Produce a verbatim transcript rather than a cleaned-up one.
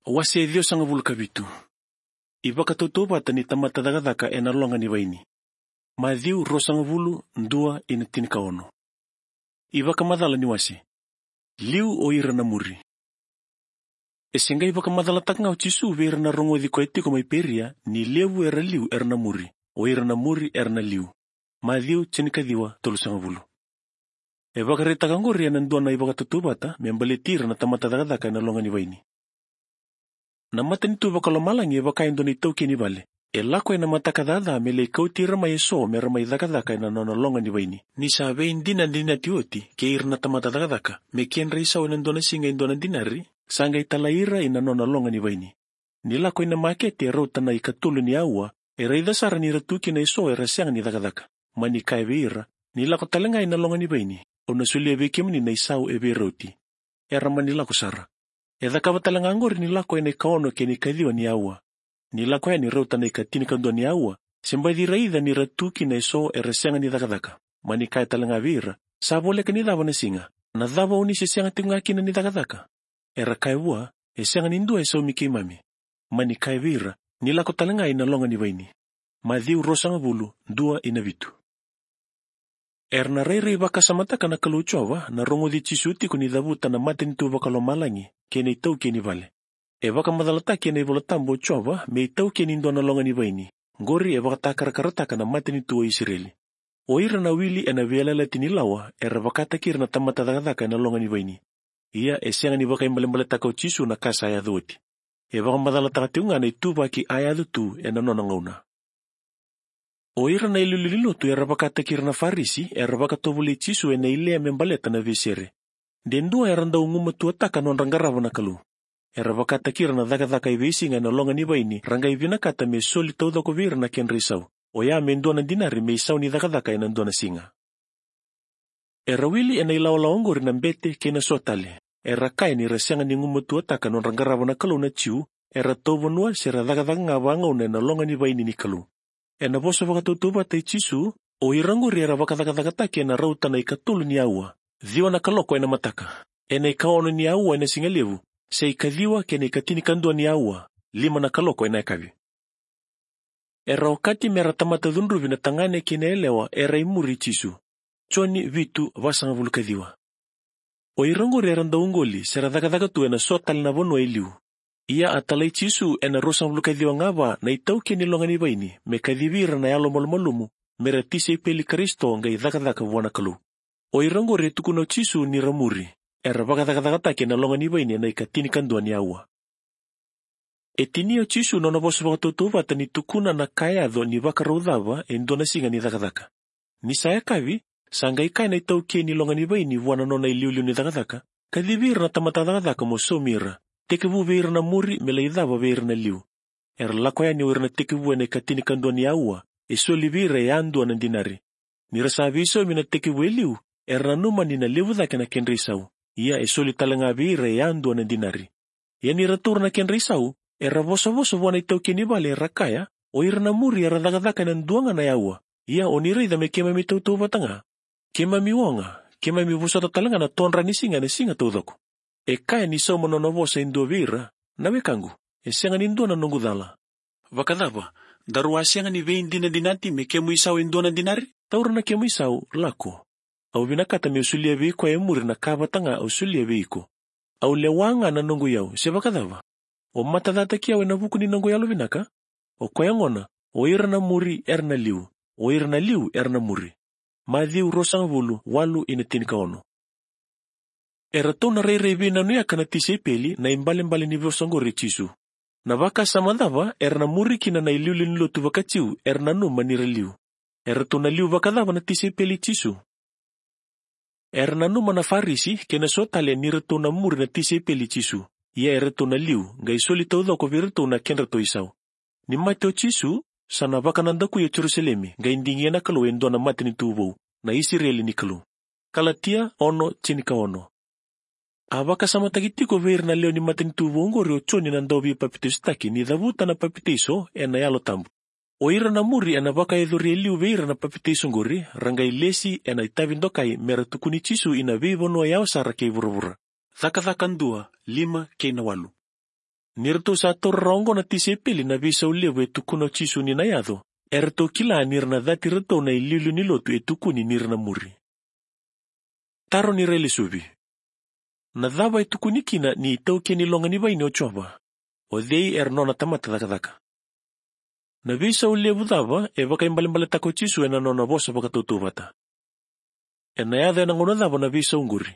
Wase ciwasagavulu ka vitu. iVakatautauvata ni tamata cakacaka ena loga ni vaini. Maciu ruasagavulu, dua ina tinikaono. iVakamacala ni wase. Liu o ira na muri. E se qai vakamacalataka ga o Jisu vei ira na rogoci koya tiko mai Peria ni levu era liu era na muri, o ira na muri era na liu. Maciu tinikaciwa, tolusagavulu. E vakaraitaka oqori ena dua na iVakatautauvata me baleti ira na tamata cakacaka ena loga ni vaini. Na matanitu vakalomalagi e vaka e dua na itaukei ni vale. E lako ena mataka caca me lai kauti ira mai eso mera mai cakacaka ena nona loga ni vaini. Ni sa veidinadinati oti kei ira na tamata cakacaka me kedra isau ena dua na siga e dua na dinari, sa qai talai ira ina nona loga ni vaini. Ni lako ina makete e rauta na ikatolu ni aua, e raica sara ni ra tu kina eso era sega ni cakacaka. Mani kaya vei ira, ni lako tale ga ina loga ni vaini, au na solia vei kemuni na isau e veirauti. Era mani lako sara. E cakava tale ga oqori ni lako ena ikaono kei na ikaciwa ni aua. Ni lako yani rauta na ikatinikadua ni aua, se baci raica ni ra tu kina eso era sega ni cakacaka. Mani kaya tale ga vei ira, sa voleka ni cava na siga, na cava oni se sega tiko ga kina ni cakacaka? Era kaya vua, e sega ni dua e saumi keimami. Mani kaya vei ira, ni lako tale ga ina loga ni vaini. Maciu ruasagavulu, dua ina vitu. Era na rairai vakasamataka na Kalou Jiova na rogoci Jisu tiko ni cavuta na matanitu vakalomalagi kei na itaukei ni vale. E vakamacalataki ena iVola Tabu o Jiova me itaukei ni dua na loga ni vaini. Qori e vakatakarakarataka na matanitu o Isireli. O ira na wili ena veiyalayalati ni lawa era vakataki ira na tamata cakacaka ena loga ni vaini. Ia e sega ni vakaibalebaletaka o Jisu na ka sa yaco oti. E vakamacalataka tiko ga na ituvaki a yaco tu ena nona gauna. O ira na iliuliu ni lotu era vakataki ira na Farisi era vakatovolei Jisu ena ileya me baleta na veisere. De dua era dau gumatuataka nodra qarava na Kalou. Era vakataki ira na cakacaka e veisiga ena loga ni vaini ra qai vinakata me soli taucoko vei ira na kedra isau. Oya me dua na dinari me isau ni cakacaka ena dua na siga. Era wili ena ilawalawa oqori na bete kei na so tale. Era kaya ni ra sega ni gumatuataka nodra qarava na Kalou na Jiu, era tauvanua se ra cakacaka ga vagauna ena loga ni vaini ni Kalou. Ena vosa vakatautauvata i Jisu, o ira oqori era vakacakacakataki ena rauta na ikatolu ni aua, ciwa na kaloko ena mataka, ena ikaono ni aua ena siga levu, se ikaciwa kei na ikatinikadua ni aua, lima na kaloko ena yakavi. Era okati mera tamata cudruvi na tagane kei na yalewa era imuri Jisu. Joni vitu, vasagavulu ka ciwa. O ira oqori era dau qoli se ra cakacaka tu ena so tale na vanua e liu. Ia a talai Jisu ena ruasagavulu ka ciwa ga va na itaukei ni loga ni vaini me kacivi ira na yalomalumalumu, mera tisaipeli Karisito qai cakacaka vua na Kalou. O ira oqori e tukuna o Jisu ni ra muri, era vakacakacakataki ena loga ni vaini ena ikatinikadua ni aua. E tinia o Jisu nona vosa vakatautauvata ni tukuna na ka e yaco ni vakarau cava e dua na siga ni cakacaka. Ni sa yakavi, sa qai kaya na itaukei ni loga ni vaini vua na nona iliuliu ni cakacaka, kacivi ira na tamata cakacaka mo saumi ira, tekivu vei ira na muri me lai cava vei ira na liu. Era lako yani o ira na tekivu ena ikatinikadua ni aua, e soli vei ira e yadua na dinari. Ni ra sa veisaumi na tekivu e liu, era nanuma ni na levu cake na kedra isau, ia e soli tale ga vei ira e yadua na dinari. Ia ni ra taura na kedra isau, era vosavosa vua na itaukei ni vale era kaya, o ira na muri era cakacaka ena dua ga na aua. Ia o ni raica me keimami tautauvata ga. Keimami oga, keimami vosota tale ga na todra ni siga ena siga taucoko. E kaya ni sauma nona vosa e dua vei ira, na wekaqu, e sega ni dua na noqu cala. Vakacava, daru a sega ni veidinadinati me kemu isau e dua na dinari? Taura na kemu isau, lako. Au vinakata meu solia vei koya e muri na ka vata ga au solia vei iko. Au lewa ga na noqu iyau, se vakacava? O matacataki au ena vuku ni noqu yalovinaka? O koya gona, o ira na muri era na liu, o ira na liu era na muri. Maciu ruasagavulu, walu ina tinikaono. Eratou na rairai veinanuyaka na tisaipeli na ibalebale ni vosa oqori i Jisu. Na vakasama cava era na muri kina na iliuliu ni lotu vakaJiu era nanuma ni ra liu? Eratou na liu vakacava na tisaipeli i Jisu? Era nanuma na Farisi kei na so tale ni ratou na muri na tisaipeli i Jisu. Ia eratou na liu, qai soli taucoko vei iratou na kedratou isau. Ni mate o Jisu, sa na vakanadakui o Jerusalemi, qai digia na Kalou e dua na matanitu vou, na Isireli ni Kalou. Kalatia ono, tinikaono. A vakasamataki tiko vei ira na lewe ni matanitu vou oqori o Joni na Dauveipapitaisotaki ni cavuta na papitaiso ena Yalo Tabu. O ira na muri ena vakayacori e liu vei ira na papitaiso oqori, ra qai lesi ena itavi dokai mera tukuni Jisu ina veivanua yawa sara kei vuravura. Cakacaka dua, lima kei na walu. Ni ratou sa taura rawa oqo na tisaipeli na veisau levu e tukuna o Jisu ni na yaco, eratou kila ni ra na cati iratou na iliuliu ni lotu e tukuni ni ra na muri. Taro ni railesuvi. Na cava e tukuni kina ni taukei ni loga ni vaini o Jiova? O cei era nona tamata cakacaka? Na veisau levu cava e vakaibalebaletaka o Jisu ena nona vosa vakatautauvata? Ena yaco ena gauna cava na veisau qori?